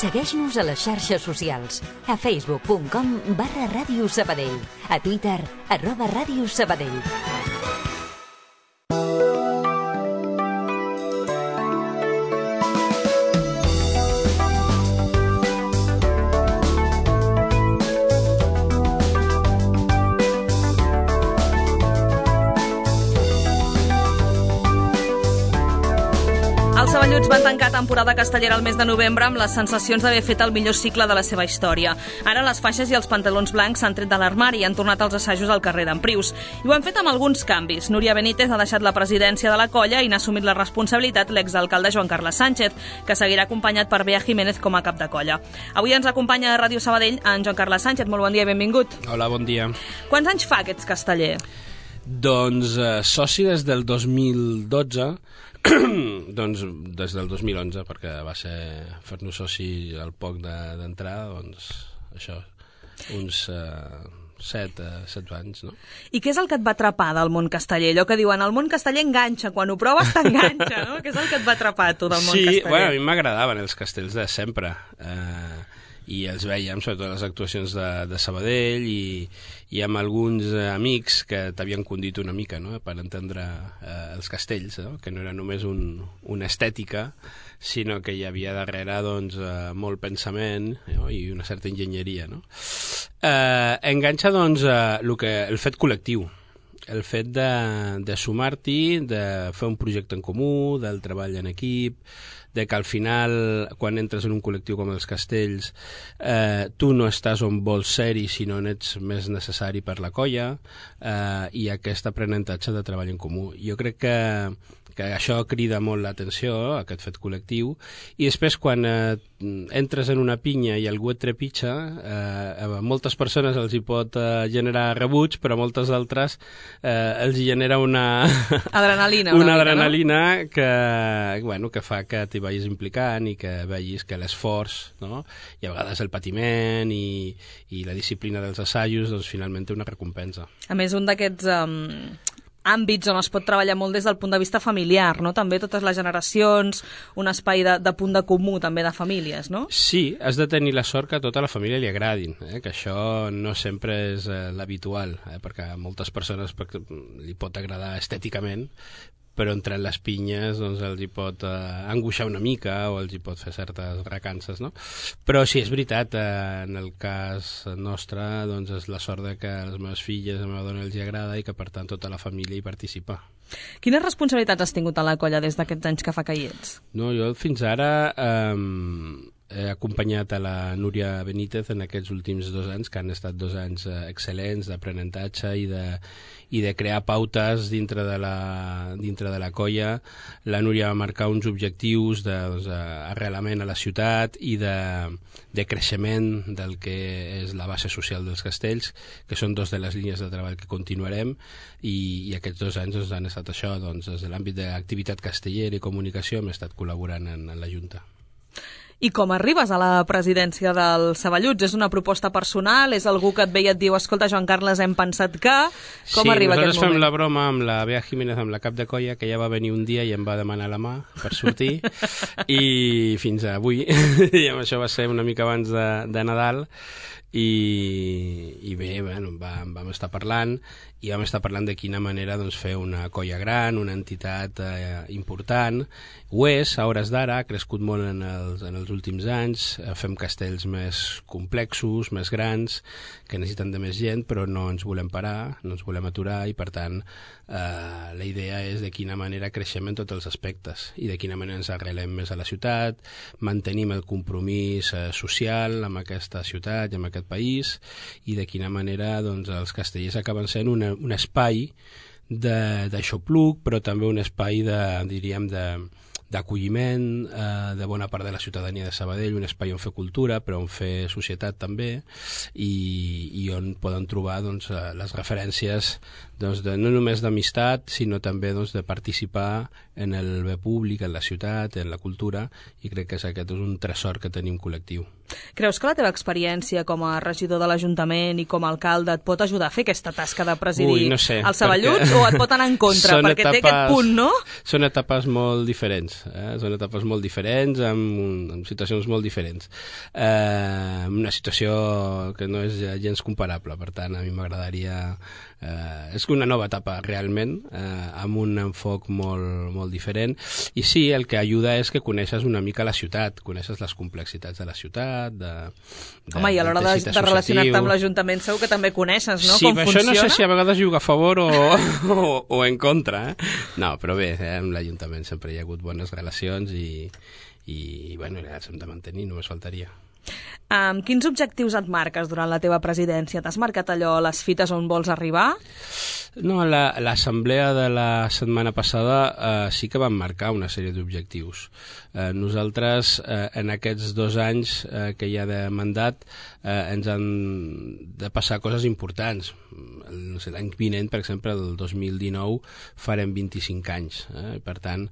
Segueix-nos a les xarxes socials. A facebook.com/Ràdio Sabadell. A Twitter, @Ràdio Sabadell. Els Saballuts van tancar temporada castellera el mes de novembre amb les sensacions d'haver fet el millor cicle de la seva història. Ara les faixes i els pantalons blancs s'han tret de l'armari i han tornat als assajos al carrer d'Emprius. I ho han fet amb alguns canvis. Núria Benítez ha deixat la presidència de la colla i n'ha assumit la responsabilitat l'exalcalde Joan Carles Sánchez, que seguirà acompanyat per Bea Jiménez com a cap de colla. Avui ens acompanya a Ràdio Sabadell en Joan Carles Sánchez. Molt bon dia i benvingut. Hola, bon dia. Quants anys fa que ets casteller? Doncs soci des del 2012, doncs des del 2011, perquè va ser fer-nos soci al poc d'entrar, doncs això, uns 7 anys, no? I què és el que et va atrapar del món casteller? Allò que diuen, el món casteller enganxa, quan ho proves t'enganxa, no? Què és el que et va atrapar a tu del món casteller? Sí, bueno, a mi m'agradaven els castells de sempre, i els veiem, sobretot les actuacions de Sabadell, i amb alguns amics que t'havien condit una mica, no?, per entendre els castells, no?, que no era només una estètica, sinó que hi havia darrere doncs, molt pensament, no?, i una certa enginyeria, no? Enganxa doncs, el fet col·lectiu, el fet de sumar-t'hi, de fer un projecte en comú, del treball en equip, de que al final, quan entres en un col·lectiu com els castells, tu no estàs on vols ser-hi, sinó on ets més necessari per la colla, i aquest aprenentatge de treball en comú. Jo crec que això crida molt l'atenció, aquest fet col·lectiu, i després quan entres en una pinya i algú et trepitja, a moltes persones els hi pot generar rebuig, però a moltes altres els hi genera una adrenalina, una adrenalina, no? que fa que t'hi vagis implicant i que vegis que l'esforç, no?, i a vegades el patiment i la disciplina dels assajos, doncs finalment té una recompensa. A més, un d'aquests àmbits on es pot treballar molt des del punt de vista familiar, no? També totes les generacions, un espai de punt de comú també de famílies, no? Sí, has de tenir la sort que a tota la família li agradin, que això no sempre és l'habitual, perquè a moltes persones li pot agradar estèticament, però entre les pinyes doncs, els hi pot angoixar una mica o els hi pot fer certes recances, no? Però sí, és veritat, en el cas nostre doncs, és la sort de que a les meves filles, a la meva dona els hi agrada i que per tant tota la família hi participa. Quines responsabilitats has tingut a la colla des d'aquests anys que fa que hi ets? No, jo fins ara he acompanyat a la Núria Benítez en aquests últims 2 anys, que han estat 2 anys excel·lents d'aprenentatge i de crear pautes dintre de la colla. La Núria va marcar uns objectius d'arrelament a la ciutat i de creixement del que és la base social dels castells, que són 2 de les línies de treball que continuarem, i aquests 2 anys doncs, han estat això, doncs, des de l'àmbit d'activitat castellera i comunicació hem estat col·laborant en la Junta. I com arribes a la presidència dels Saballuts? És una proposta personal? És algú que et ve i et diu escolta, Joan Carles, hem pensat que... Com arriba aquest moment? Sí, nosaltres fem la broma amb la Bea Jiménez, amb la cap de colla, que ja va venir un dia i em va demanar la mà per sortir, i fins avui, i això va ser una mica abans de Nadal, i bé, bueno, vam estar parlant de quina manera doncs, fer una colla gran, una entitat important. Ho és, a hores d'ara, ha crescut molt en els últims anys, fem castells més complexos, més grans, que necessiten de més gent, però no ens volem parar, no ens volem aturar, i per tant la idea és de quina manera creixem en tots els aspectes i de quina manera ens arrelem més a la ciutat, mantenim el compromís social amb aquesta ciutat i amb aquest país, i de quina manera doncs, els castellers acaben sent un espai d'aixopluc, però també un espai d'acolliment de bona part de la ciutadania de Sabadell, un espai on fer cultura, però on fer societat també, i on poden trobar doncs, les referències no només d'amistat, sinó també de participar en el bé públic, en la ciutat, en la cultura, i crec que aquest és un tresor que tenim col·lectiu. Creus que la teva experiència com a regidor de l'Ajuntament i com a alcalde et pot ajudar a fer aquesta tasca de presidir no sé, els Saballuts o et pot anar en contra? Perquè té aquest punt, no? Són etapes molt diferents, són etapes molt diferents, amb situacions molt diferents. Una situació que no és gens comparable, per tant, a mi m'agradaria... és una nova etapa, realment, amb un enfoc molt diferent. I sí, el que ajuda és que coneixes una mica la ciutat, coneixes les complexitats de la ciutat, home, i a l'hora de relacionar-te amb l'Ajuntament segur que també coneixes, no? Sí, Com però funciona? això no sé si a vegades juga a favor o en contra. No, però bé, amb l'Ajuntament sempre hi ha hagut bones relacions i bueno, les hem de mantenir, només faltaria. Quins objectius et marques durant la teva presidència? T'has marcat allò, les fites on vols arribar? No, l'assemblea de la setmana passada sí que vam marcar una sèrie d'objectius. Nosaltres, en aquests 2 anys que hi ha de mandat, ens han de passar coses importants. L'any vinent, per exemple, el 2019, farem 25 anys. Per tant,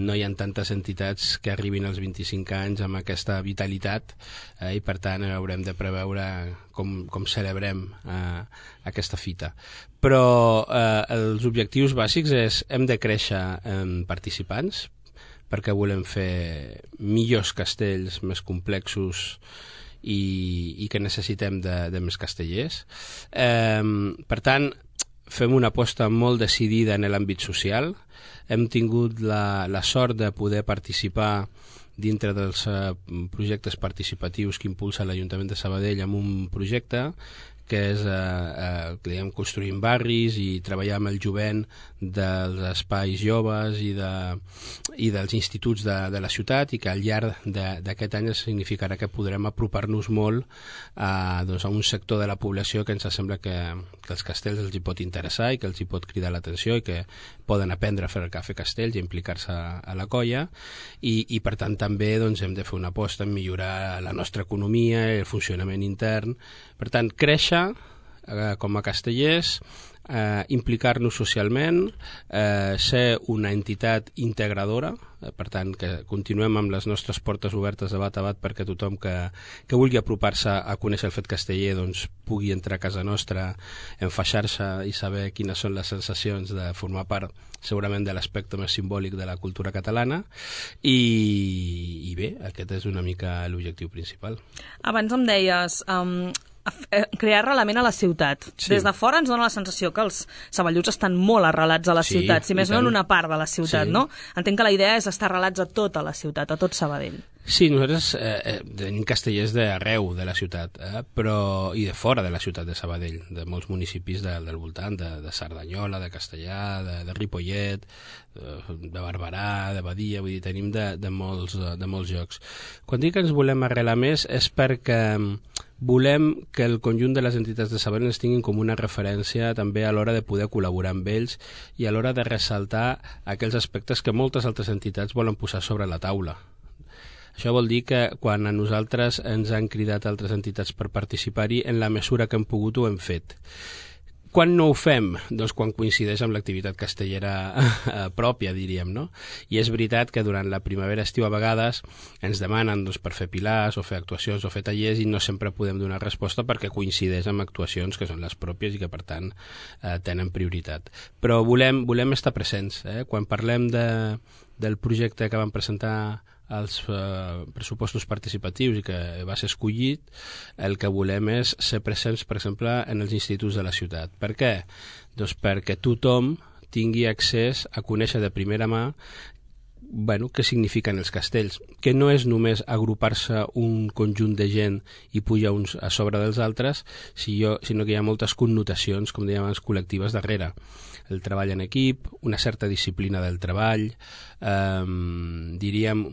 no hi ha tantes entitats que arribin als 25 anys amb aquesta vitalitat, i per tant haurem de preveure com celebrem aquesta fita. Però els objectius bàsics és hem de créixer en participants perquè volem fer millors castells més complexos i que necessitem de més castellers. Per tant, fem una aposta molt decidida en l'àmbit social. Hem tingut la sort de poder participar dintre dels projectes participatius que impulsa l'Ajuntament de Sabadell amb un projecte que és construir barris i treballar amb el jovent dels espais joves i dels instituts de la ciutat, i que al llarg d'aquest any significarà que podrem apropar-nos molt a un sector de la població que ens sembla que els castells els hi pot interessar i que els hi pot cridar l'atenció i que poden aprendre a fer castells i implicar-se a la colla, i per tant també hem de fer una aposta en millorar la nostra economia i el funcionament intern. Per tant, créixer com a castellers, implicar-nos socialment, ser una entitat integradora, per tant que continuem amb les nostres portes obertes de bat a bat perquè tothom que vulgui apropar-se a conèixer el fet casteller pugui entrar a casa nostra, enfaixar-se i saber quines són les sensacions de formar part segurament de l'aspecte més simbòlic de la cultura catalana, i bé, aquest és una mica l'objectiu principal. Abans em deies crear arrelament a la ciutat. Sí. Des de fora ens dona la sensació que els saballuts estan molt arrelats a la ciutat, si més no en una part de la ciutat, no? Entenc que la idea és estar arrelats a tota la ciutat, a tot Sabadell. Sí, nosaltres tenim castellers d'arreu de la ciutat, però i de fora de la ciutat de Sabadell, de molts municipis del voltant, de Cerdanyola, de Castellar, de Ripollet, de Barberà, de Badia, vull dir, tenim de molts llocs. Quan dic que ens volem arrelar més és perquè volem que el conjunt de les entitats de Sabadell ens tinguin com una referència també a l'hora de poder col·laborar amb ells i a l'hora de ressaltar aquells aspectes que moltes altres entitats volen posar sobre la taula. Això vol dir que quan a nosaltres ens han cridat altres entitats per participar-hi, en la mesura que hem pogut ho hem fet. Quan no ho fem? Doncs quan coincideix amb l'activitat castellera pròpia, diríem, no? I és veritat que durant la primavera-estiu a vegades ens demanen per fer pilars o fer actuacions o fer tallers i no sempre podem donar resposta perquè coincideix amb actuacions que són les pròpies i que per tant tenen prioritat. Però volem estar presents. Quan parlem del projecte que vam presentar als pressupostos participatius i que va ser escollit, el que volem és ser presents, per exemple, en els instituts de la ciutat. Per què? Doncs perquè tothom tingui accés a conèixer de primera mà què signifiquen els castells, que no és només agrupar-se un conjunt de gent i pujar uns a sobre dels altres, sinó que hi ha moltes connotacions, com dèiem abans, col·lectives darrere. El treball en equip, una certa disciplina del treball, diríem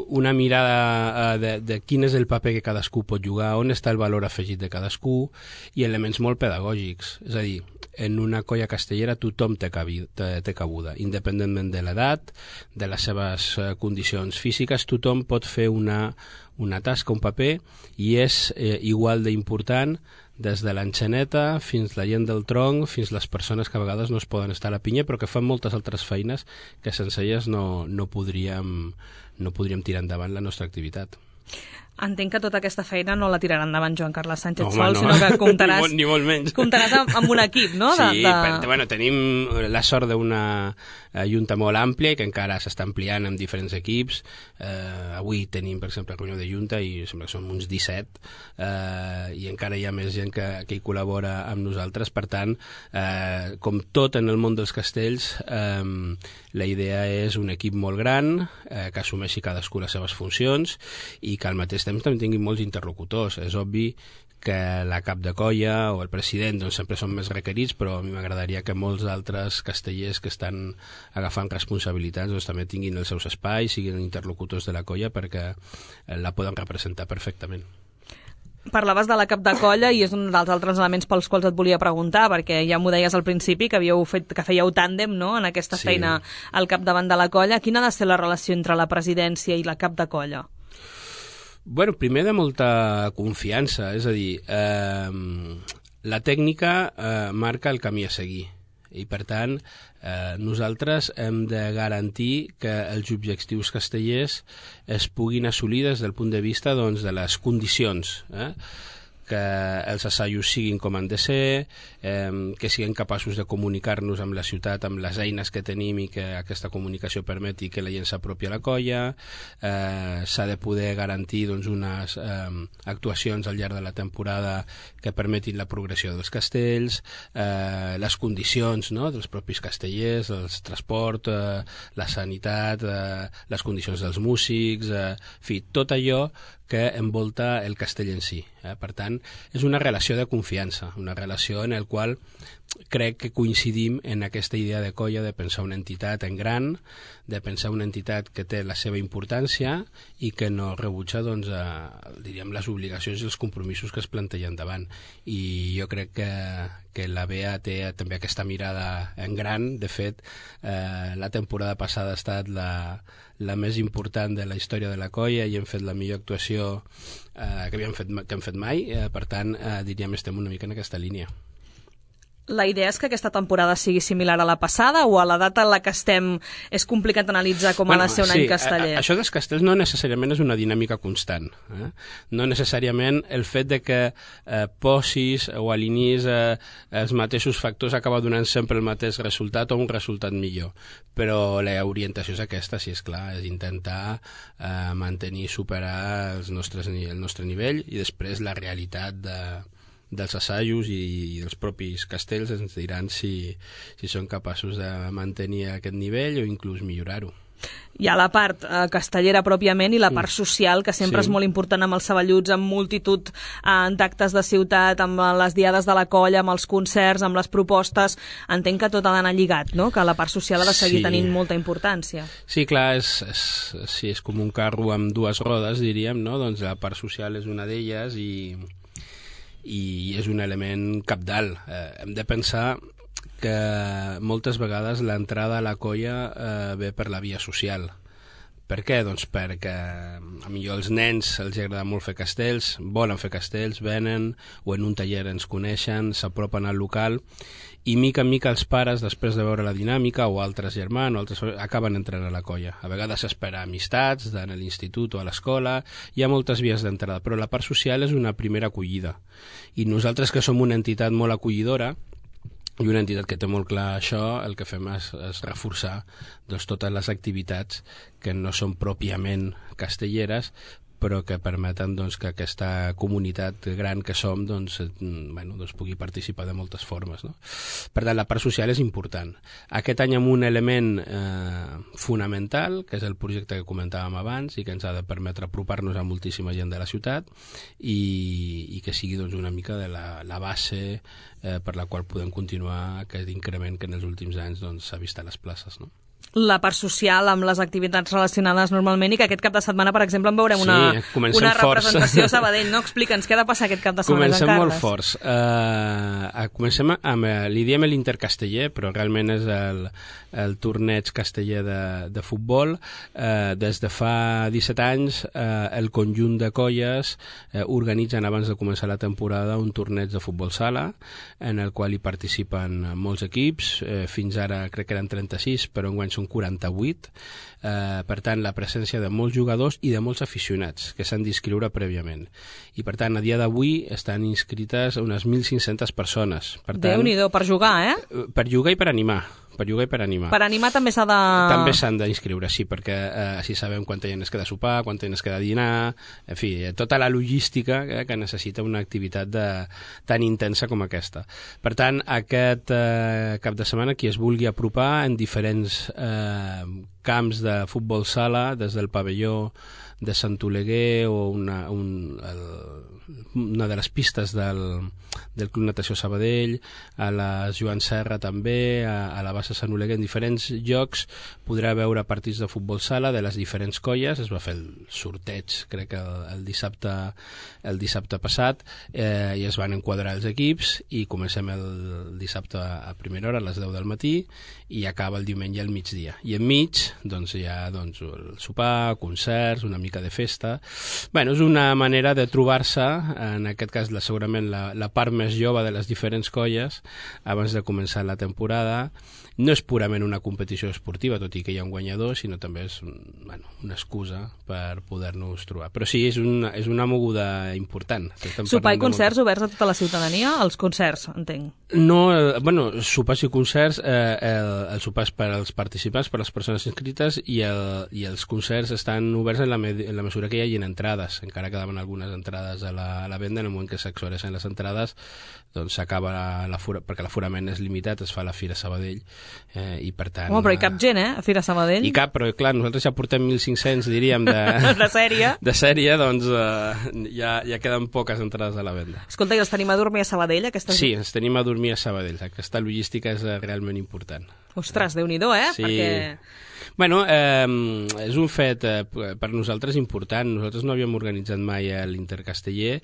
una mirada de quin és el paper que cadascú pot jugar, on està el valor afegit de cadascú, i elements molt pedagògics. És a dir, en una colla castellera tothom té cabuda, independentment de l'edat, de les seves condicions físiques, tothom pot fer una una tasca, un paper, i és igual d'important des de l'enxaneta fins la gent del tronc, fins les persones que a vegades no es poden estar a la pinya, però que fan moltes altres feines que sense elles no podríem tirar endavant la nostra activitat. Entenc que tota aquesta feina no la tirarà endavant Joan Carles Sánchez sol, sinó que comptaràs, ni molt menys. Comptaràs amb un equip, no? Sí, bueno, tenim la sort d'una junta molt àmplia i que encara s'està ampliant amb diferents equips. Avui tenim, per exemple, reunió de junta i sembla que som uns 17 i encara hi ha més gent que hi col·labora amb nosaltres. Per tant, com tot en el món dels castells, la idea és un equip molt gran que assumeixi cadascú les seves funcions i que al mateix temps també tinguin molts interlocutors. És obvi que la cap de colla o el president doncs, sempre són més requerits, però a mi m'agradaria que molts altres castellers que estan agafant responsabilitats doncs, també tinguin els seus espais, siguin interlocutors de la colla perquè la poden representar perfectament. Parlaves de la cap de colla i és un dels altres elements pels quals et volia preguntar, perquè ja m'ho deies al principi que fèieu tàndem, no?, en aquesta feina al capdavant de la colla. Quina ha de ser la relació entre la presidència i la cap de colla? Bueno, primer de molta confiança, és a dir, la tècnica marca el camí a seguir i per tant nosaltres hem de garantir que els objectius castellers es puguin assolir des del punt de vista doncs, de les condicions, que els assajos siguin com han de ser, que siguin capaços de comunicar-nos amb la ciutat, amb les eines que tenim i que aquesta comunicació permeti que la gent s'apropi a la colla. S'ha de poder garantir doncs, unes actuacions al llarg de la temporada que permetin la progressió dels castells, les condicions, no?, dels propis castellers, el transport, la sanitat, les condicions dels músics, en fi, tot allò que envolta el castell en si. Per tant, és una relació de confiança, una relació en la qual crec que coincidim en aquesta idea de colla, de pensar una entitat en gran, de pensar una entitat que té la seva importància i que no rebutja doncs, diríem, les obligacions i els compromisos que es plantegen davant. I jo crec que la BEA té també aquesta mirada en gran. De fet, la temporada passada ha estat la més important de la història de la colla i hem fet la millor actuació que hem fet mai. Per tant, diríem, estem una mica en aquesta línia. La idea és que aquesta temporada sigui similar a la passada o a la data en la que estem és complicat analitzar com ha de ser un any casteller? Això dels castells no necessàriament és una dinàmica constant. No necessàriament el fet de que posis o alinis els mateixos factors acaba donant sempre el mateix resultat o un resultat millor. Però l'orientació és aquesta, si és clar, és intentar mantenir, superar el nostre nivell i després la realitat dels assajos i dels propis castells ens diran si són capaços de mantenir aquest nivell o inclús millorar-ho. Hi ha la part castellera pròpiament i la part social, que sempre és molt important amb els saballuts, amb multitud d'actes de ciutat, amb les diades de la colla, amb els concerts, amb les propostes. Entenc que tot ha d'anar lligat, no?, que la part social ha de seguir tenint molta importància. Sí, clar, és com un carro amb dues rodes, diríem, no? Doncs la part social és una d'elles i és un element cabdal. Hem de pensar que moltes vegades l'entrada a la colla ve per la via social. Per què? Doncs perquè a millor els nens els agrada molt fer castells, volen fer castells, venen, o en un taller ens coneixen, s'apropen al local, i mica en mica els pares, després de veure la dinàmica, o altres germans, o altres, acaben entrant a la colla. A vegades s'espera amistats en l'institut o a l'escola, hi ha moltes vies d'entrada, però la part social és una primera acollida. I nosaltres, que som una entitat molt acollidora, i una entitat que té molt clar això, el que fem és reforçar doncs, totes les activitats que no són pròpiament castelleres, però que permeten doncs, que aquesta comunitat gran que som doncs, pugui participar de moltes formes. No? Per tant, la part social és important. Aquest any amb un element fonamental, que és el projecte que comentàvem abans i que ens ha de permetre apropar-nos a moltíssima gent de la ciutat i que sigui doncs, una mica de la base per la qual podem continuar aquest increment que en els últims anys s'ha vist a les places. No? la part social amb les activitats relacionades normalment, i que aquest cap de setmana, per exemple, en veurem una representació a Sabadell, no? Explica'ns, què ha de passar aquest cap de setmana, Comencem molt forts. Comencem amb, li diem l'Intercasteller, però realment és el torneig casteller de futbol. Des de fa 17 anys, el conjunt de colles organitzen, abans de començar la temporada, un torneig de futbol sala, en el qual hi participen molts equips. Fins ara crec que eren 36, però enguany són 48. Per tant, la presència de molts jugadors i de molts aficionats que s'han d'inscriure prèviament. I per tant, a dia d'avui estan inscrites unes 1.500 persones. Déu-n'hi-do, per jugar, Per jugar i per animar. Per jugar i per animar. Per animar també s'ha de... També s'han d'inscriure, sí, perquè així sabem quanta gent es queda a sopar, quanta gent es queda a dinar, en fi, tota la logística que necessita una activitat tan intensa com aquesta. Per tant, aquest cap de setmana, qui es vulgui apropar en diferents camps de futbol sala, des del pavelló de Sant Oleguer o una de les pistes del Club Natació Sabadell, a la Joan Serra també, a la bassa Sant Oleguer, en diferents llocs podrà veure partits de futbol sala de les diferents colles. Es va fer el sorteig, crec que el dissabte passat, i es van enquadrar els equips, i comencem el dissabte a primera hora, a les 10 del matí, i acaba el diumenge al migdia. I enmig hi ha el sopar, concerts, una mica de festa. Bueno, és una manera de trobar-se, en aquest cas segurament la part més jove de les diferents colles, abans de començar la temporada. No és purament una competició esportiva, tot i que hi ha un guanyador, sinó també és una excusa per poder-nos trobar. Però sí, és una moguda important. Sopar i concerts oberts a tota la ciutadania? Els concerts, entenc. No, sopars i concerts, el sopar és per als participants, per a les persones inscrites, i els concerts estan oberts en la mesura que hi hagin entrades. Encara quedaven algunes entrades a la venda. En el moment que s'exhaureixen les entrades, doncs s'acaba perquè l'aforament és limitat, es fa la Fira Sabadell, i per tant... Home, però hi cap gent, a Fira Sabadell? Hi cap, però clar, nosaltres ja portem 1.500, diríem, de sèrie. De sèrie, doncs ja queden poques entrades a la venda. Escolta, i els tenim a dormir a Sabadell? Sí, ens tenim a dormir a Sabadell. Aquesta logística és realment important. Ostres, Déu-n'hi-do, Sí. Perquè... Bueno, és un fet per nosaltres important. Nosaltres no havíem organitzat mai l'Intercasteller,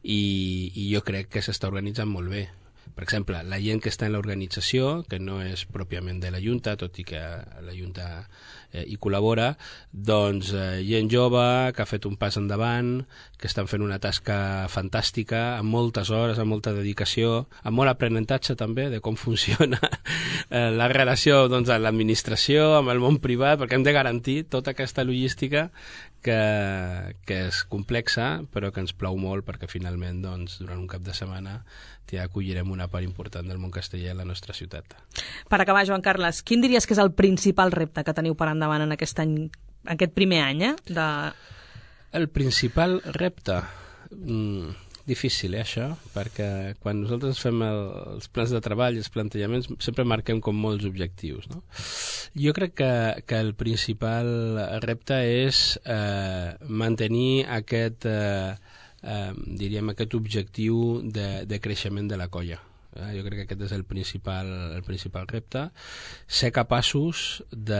i jo crec que s'està organitzant molt bé. Per exemple, la gent que està en l'organització, que no és pròpiament de la Junta, tot i que la Junta hi col·labora, doncs gent jove que ha fet un pas endavant, que estan fent una tasca fantàstica, amb moltes hores, amb molta dedicació, amb molt aprenentatge també de com funciona la relació amb l'administració, amb el món privat, perquè hem de garantir tota aquesta logística que és complexa, però que ens plau molt, perquè finalment durant un cap de setmana ja acollirem una part important del món casteller a la nostra ciutat. Per acabar, Joan Carles, quin diries que és el principal repte que teniu per endavant en aquest any, aquest primer any? El principal repte? Difícil, això, perquè quan nosaltres fem els plans de treball i els plantejaments sempre marquem com molts objectius, no? Jo crec que el principal repte és mantenir aquest objectiu de creixement de la colla. Jo crec que aquest és el principal repte, ser capaços de,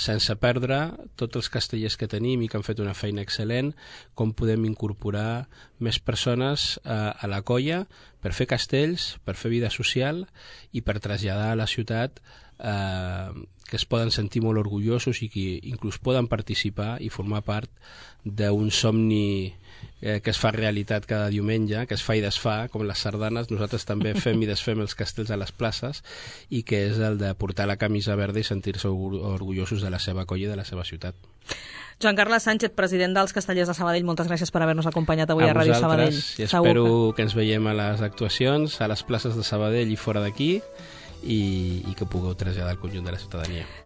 sense perdre tots els castellers que tenim i que han fet una feina excel·lent, com podem incorporar més persones a la colla per fer castells, per fer vida social i per traslladar a la ciutat que es poden sentir molt orgullosos i que inclús poden participar i formar part d'un somni que es fa realitat cada diumenge, que es fa i desfà, com les sardanes. Nosaltres també fem i desfem els castells a les places, i que és el de portar la camisa verda i sentir-se orgullosos de la seva colla i de la seva ciutat. Joan Carles Sánchez, president dels Castellers de Sabadell, moltes gràcies per haver-nos acompanyat avui a Ràdio Sabadell. I espero que ens veiem a les actuacions, a les places de Sabadell i fora d'aquí, i que pugueu traslladar al conjunt de la ciutadania.